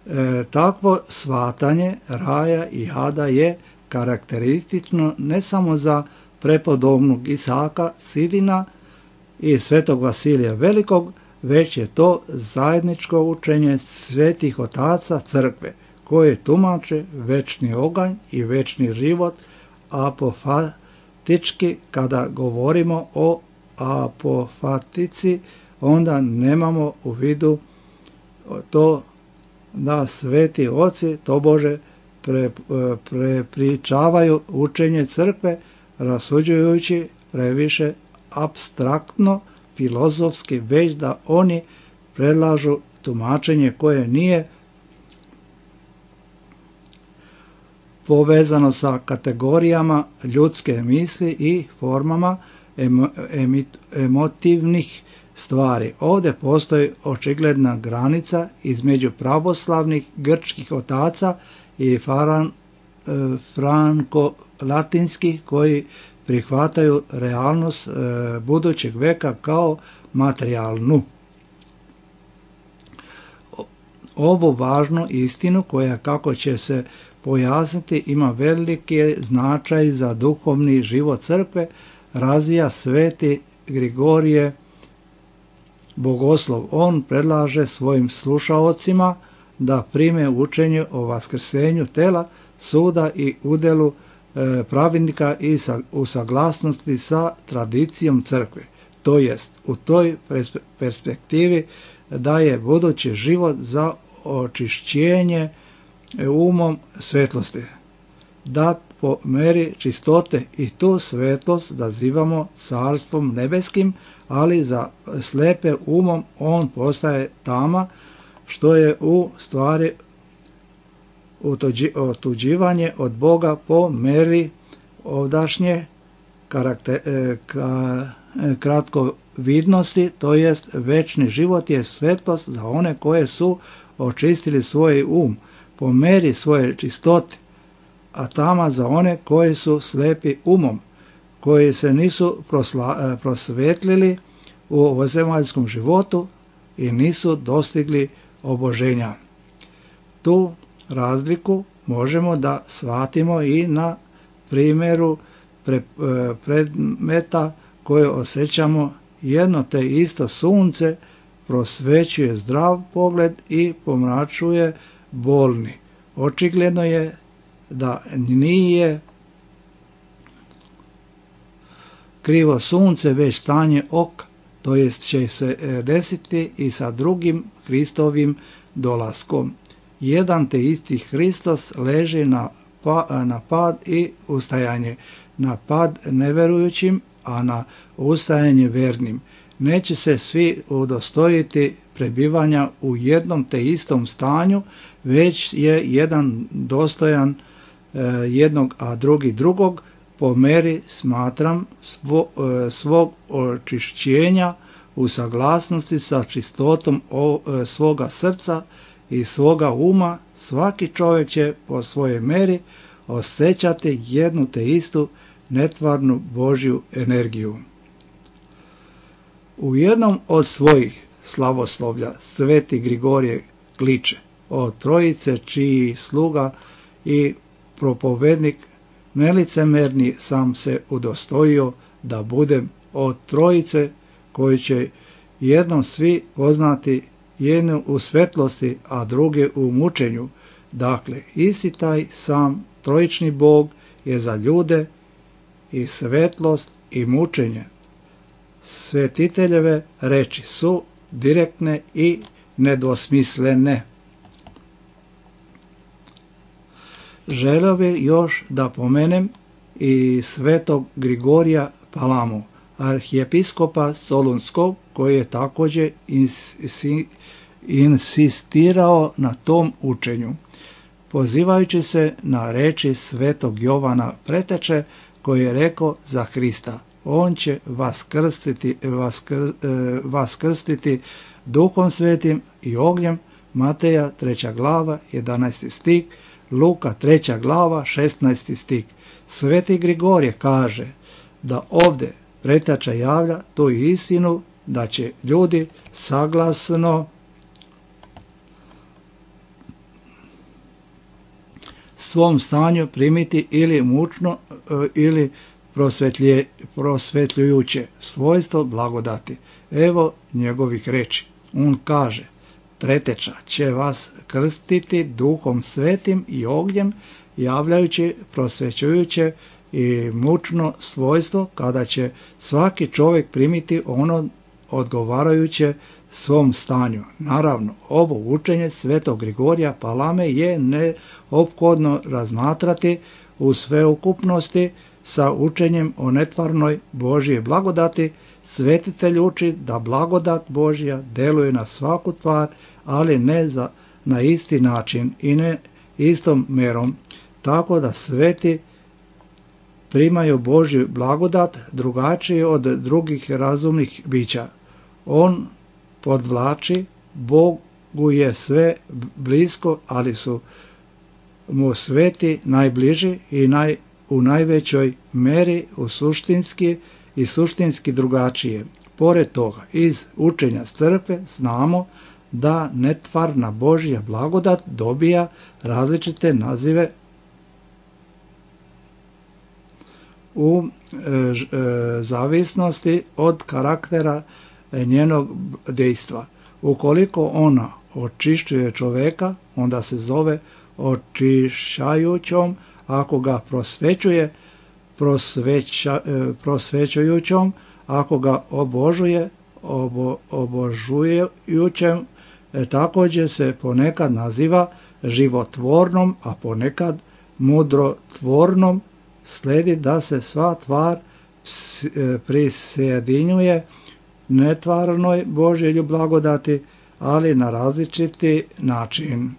E, takvo shvatanje raja i jada je karakteristično ne samo za prepodobnog Isaka Sidina i svetog Vasilija Velikog, već je to zajedničko učenje svetih otaca crkve, koje tumače večni oganj i večni život. Apofatički, kada govorimo o apofatici, onda nemamo u vidu to da sveti oci tobože prepričavaju učenje crkve, rasuđujući previše apstraktno, filozofski, već da oni predlažu tumačenje koje nije povezano sa kategorijama ljudske misli i formama emo, emotivnih stvari. Ovdje postoji očigledna granica između pravoslavnih grčkih otaca i faran, franko-latinskih koji prihvataju realnost budućeg veka kao materijalnu. Ovu važnu istinu koja, kako će se pojasniti, ima veliki značaj za duhovni život crkve, razvija sveti Grigorije Bogoslov. On predlaže svojim slušaocima da prime učenje o vaskrsenju tela, suda i udelu e, pravednika i sa, u saglasnosti sa tradicijom crkve. To jest, u toj perspektivi daje budući život za očišćenje umom svetlosti. Dat po meri čistote i tu svetlost nazivamo carstvom nebeskim, ali za slepe umom on postaje tama, što je u stvari otuđivanje od Boga po meri ovdašnje karakter, ka, kratkovidnosti, to jest večni život je svetlost za one koje su očistili svoj um po meri svoje čistote, a tama za one koji su slepi umom, koji se nisu prosla, prosvetlili u ovozemaljskom životu i nisu dostigli oboženja. Tu razliku možemo da shvatimo i na primjeru pre, predmeta koje osjećamo. Jedno te isto sunce prosvećuje zdrav pogled i pomračuje bolni. Očigledno je da nije krivo sunce, već stanje oka, to jest će se desiti i sa drugim Hristovim dolaskom. Jedan te isti Hristos leži na, pa, na pad i ustajanje, na pad neverujućim, a na ustajanje vernim. Neće se svi udostojiti prebivanja u jednom te istom stanju, već je jedan dostojan e, jednog, a drugi drugog, po meri, smatram, svo, e, svog očišćenja u saglasnosti sa čistotom o, e, svoga srca i svoga uma. Svaki čovjek će po svojoj meri osjećati jednu te istu netvarnu Božju energiju. U jednom od svojih slavoslovlja sveti Grigorije kliče o trojice čiji sluga i propovednik nelicemerni sam se udostojio da budem od trojice koji će jednom svi poznati, jednu u svetlosti, a druge u mučenju. Dakle, isti taj sam trojični Bog je za ljude i svetlost i mučenje. Svetiteljeve reči su direktne i nedvosmislene. Želio bih još da pomenem i svetog Grigorija Palamu, arhijepiskopa Solunskog, koji je također insistirao na tom učenju, pozivajući se na reči svetog Jovana Preteče, koji je rekao za Hrista: on će vas krstiti, vas, kr, vas krstiti Duhom Svetim i ognjem. Mateja treća glava jedanaesti stih, Luka treća glava šesnaesti stih. Sveti Grigorije kaže da ovdje Preteča javlja tu istinu, da će ljudi saglasno svom stanju primiti ili mučno ili prosvetlje, prosvetljujuće svojstvo blagodati. Evo njegovih reči. On kaže: Preteča će vas krstiti Duhom Svetim i ognjem, javljajući prosvećujuće i mučno svojstvo, kada će svaki čovjek primiti ono odgovarajuće svom stanju. Naravno, ovo učenje svetog Grigorija Palame je neophodno razmatrati u sveukupnosti sa učenjem o netvarnoj Božje blagodati. Svetitelj uči da blagodat Božja deluje na svaku tvar, ali ne za, na isti način i ne istom merom, tako da sveti primaju Božju blagodat drugačije od drugih razumnih bića. On podvlači, Bogu je sve blisko, ali su mu sveti najbliži i naj, u najvećoj meri u suštinski i suštinski drugačije. Pored toga, iz učenja crkve znamo da netvarna Božja blagodat dobija različite nazive u zavisnosti od karaktera njenog dejstva. Ukoliko ona očišćuje čoveka, onda se zove očišćajućom, ako ga prosvećuje, prosveća, prosvećujućom, ako ga obožuje, obo, obožujućem, također se ponekad naziva životvornom, a ponekad mudrotvornom. Sledi da se sva tvar prisjedinjuje netvarnoj Božjoj blagodati, ali na različiti način.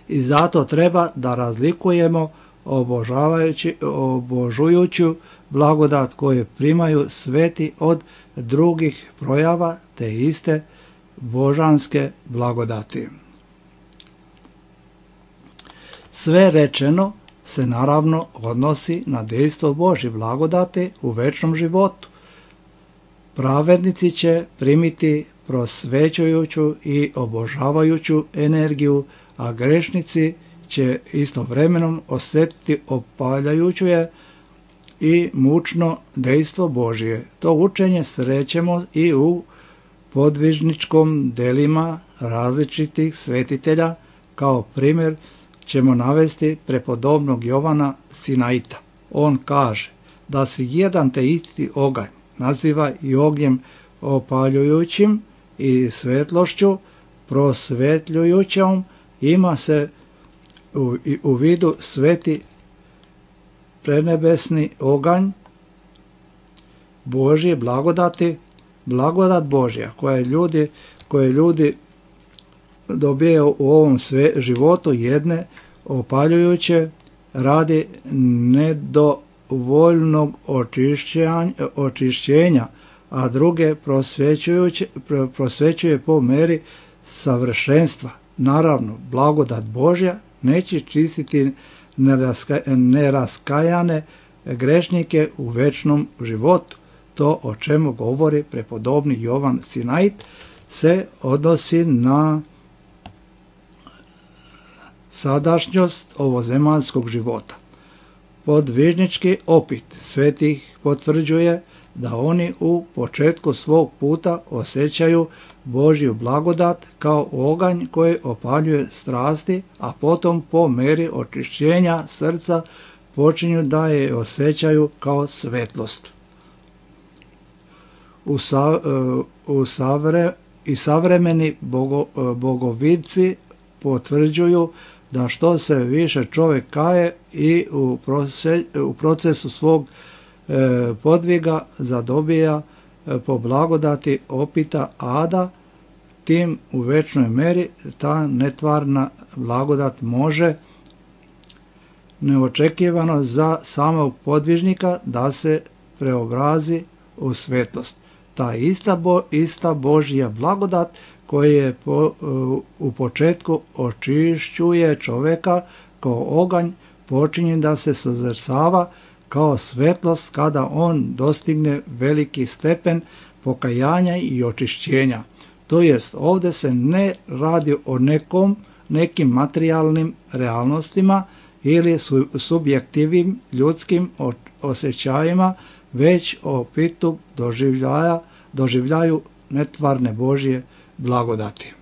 I zato treba da razlikujemo obožavajući, obožujuću blagodat koju primaju sveti od drugih projava te iste božanske blagodati. Sve rečeno se naravno odnosi na dejstvo Božje blagodati u večnom životu. Pravednici će primiti prosvećujuću i obožavajuću energiju, a grešnici će istovremeno osjetiti opaljajuću je i mučno dejstvo Božje. To učenje srećemo i u podvižničkom delima različitih svetitelja. Kao primjer ćemo navesti prepodobnog Jovana Sinaita. On kaže da se jedan te isti oganj naziva i ognjem opaljujućim i svetlošću prosvetljujućom, ima se u, u vidu sveti prenebesni oganj Božje blagodati, blagodat Božja koje ljudi, koje ljudi dobijaju u ovom sve životu, jedne opaljujuće radi nedovoljnog očišćenja, očišćenja, a druge prosvećuje po meri savršenstva. Naravno, blagodat Božja neće čistiti neraska, neraskajane grešnike u večnom životu. To o čemu govori prepodobni Jovan Sinait se odnosi na sadašnjost ovozemaljskog života. Podvižnički opit svetih potvrđuje da oni u početku svog puta osjećaju Božju blagodat kao oganj koji opaljuje strasti, a potom po meri očišćenja srca počinju da je osjećaju kao svetlost. U, sa, u savre, i savremeni bogo, bogovidci potvrđuju da što se više čovjek kaje i u, prose, u procesu svog e, podviga zadobija e, po blagodati opita ada, tim u večnoj meri ta netvarna blagodat može neočekivano za samog podvižnika da se preobrazi u svetlost. Ta ista, bo, ista Božja blagodat koji je po, u početku očišćuje čovjeka kao oganj, počinje da se sozrcava kao svetlost kada on dostigne veliki stepen pokajanja i očišćenja. To jest, ovdje se ne radi o nekom, nekim materijalnim realnostima ili su, subjektivnim ljudskim osjećajima, već o pitu doživljaja, doživljaju netvarne Božje blagodati.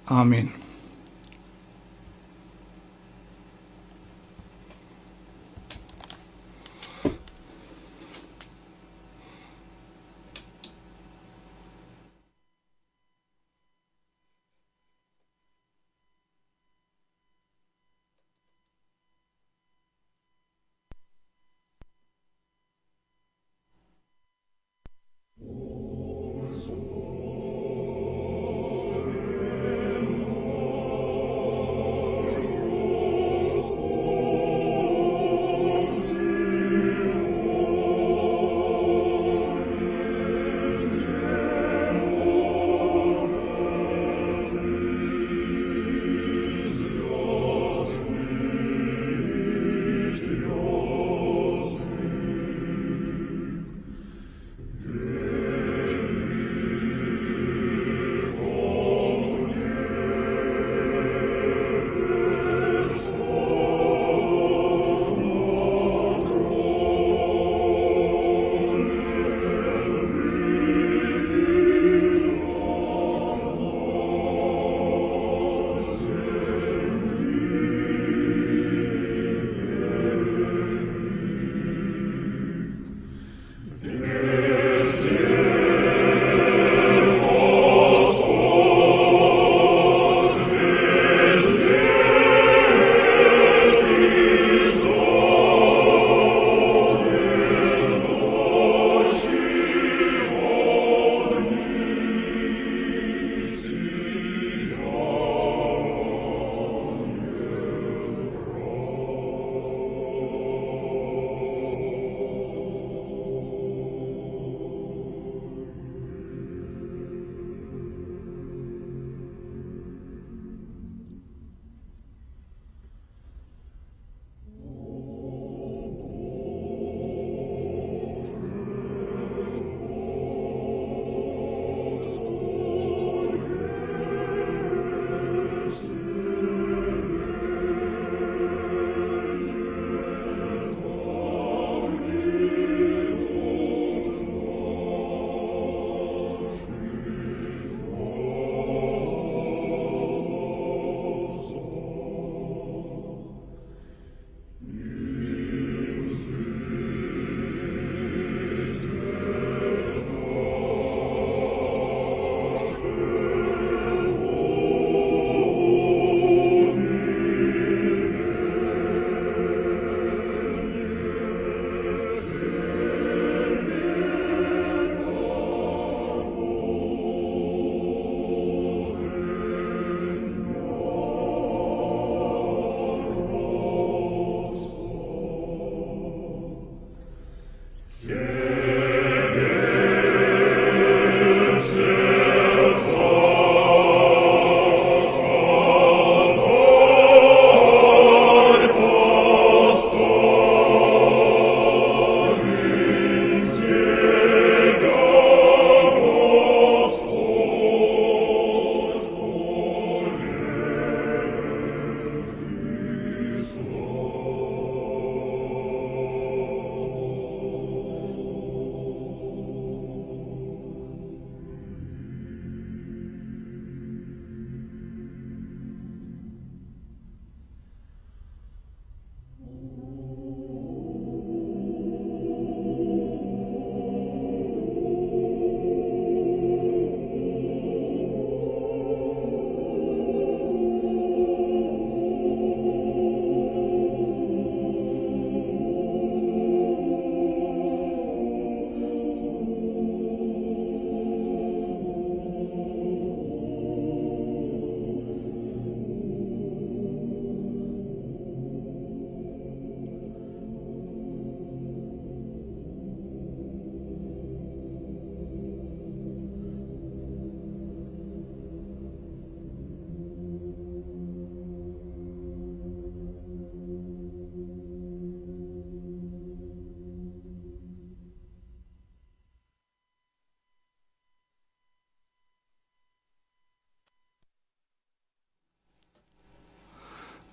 Amin.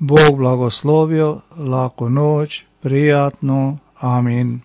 Bog blagoslovio, laku noć, prijatnu, amin.